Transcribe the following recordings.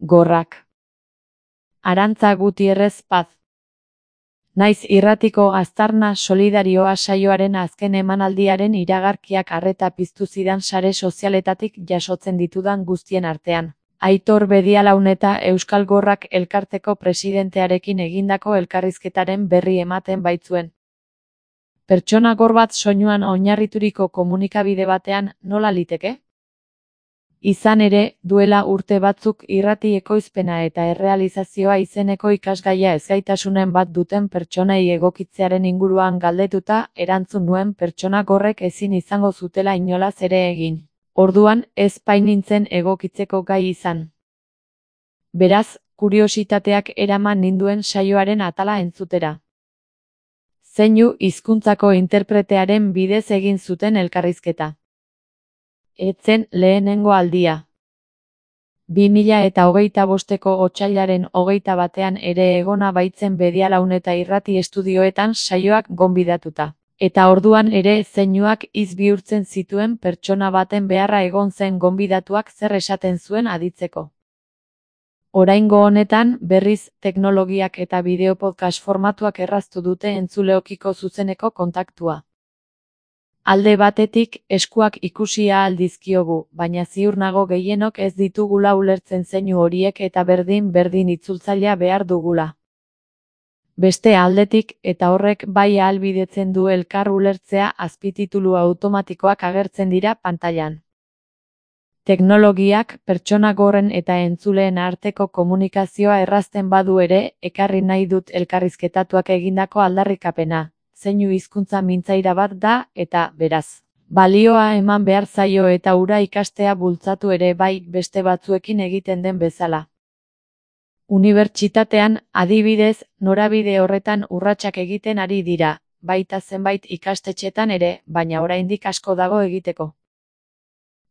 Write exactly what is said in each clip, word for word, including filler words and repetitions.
Gorrak. Arantza Gutierrez Paz. Naiz irratiko aztarna solidarioa saioaren azken emanaldiaren iragarkiak arreta piztu zidan sare sozialetatik jasotzen ditudan guztien artean. Aitor Bedialaun eta Euskal Gorrak elkarteko presidentearekin egindako elkarrizketaren berri ematen baitzuen. Pertsona gor bat soinuan oinarrituriko komunikabide batean nola liteke? Izan ere, duela urte batzuk irrati ekoizpena eta errealizazioa izeneko ikasgaia ezgaitasunen bat duten pertsonei egokitzearen inguruan galdetuta, erantzun nuen pertsona gorrek ezin izango zutela inolaz ere egin. Orduan, ez bainintzen egokitzeko gai izan. Beraz, kuriositateak eraman ninduen saioaren atala entzutera. Zeinu hizkuntzako interpretearen bidez egin zuten elkarrizketa. Etzen lehenengo aldia. bi mila eta hogeita bosteko otsailaren hogeita batean ere egona baitzen Bedialaun eta irrati estudioetan saioak gonbidatuta. Eta orduan ere zeinuak hitz bihurtzen zituen pertsona baten beharra egon zen gonbidatuak zer esaten zuen aditzeko. Oraingo honetan, berriz, teknologiak eta bideo-podcast formatuak erraztu dute entzuleokiko zuzeneko kontaktua. Alde batetik, eskuak ikusi ahal dizkiogu, baina ziur nago gehienok ez ditugula ulertzen zeinu horiek eta berdin-berdin itzultzailea behar dugula. Beste aldetik, eta horrek bai ahalbidetzen du elkar ulertzea, azpititulu automatikoak agertzen dira pantailan. Teknologiak pertsona gorren eta entzuleen arteko komunikazioa errazten badu ere, ekarri nahi dut elkarrizketatuak egindako aldarrikapena. Zeinu hizkuntza mintzaira bat da, eta, beraz, balioa eman behar zaio eta hura ikastea bultzatu ere bai beste batzuekin egiten den bezala. Unibertsitatean, adibidez, norabide horretan urratsak egiten ari dira, baita zenbait ikastetxetan ere, baina oraindik asko dago egiteko.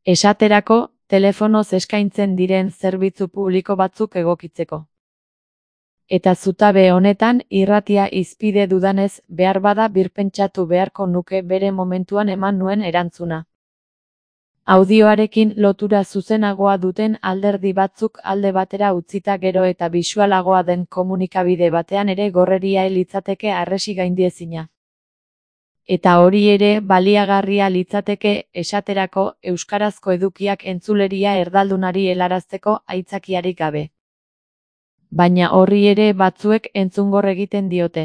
Esaterako, telefonoz eskaintzen diren zerbitzu publiko batzuk egokitzeko. Eta zutabe honetan, irratia hizpide dudanez, behar bada birpentsatu beharko nuke bere momentuan eman nuen erantzuna. Audioarekin lotura zuzenagoa duten alderdi batzuk alde batera utzita gero eta bisualagoa den komunikabide batean ere gorreria litzateke harresi gaindiezina. Eta hori ere baliagarria litzateke, esaterako, euskarazko edukiak entzuleria erdaldunari helarazteko aitzakiarik gabe. Baina horri ere batzuek entzungor egiten diote.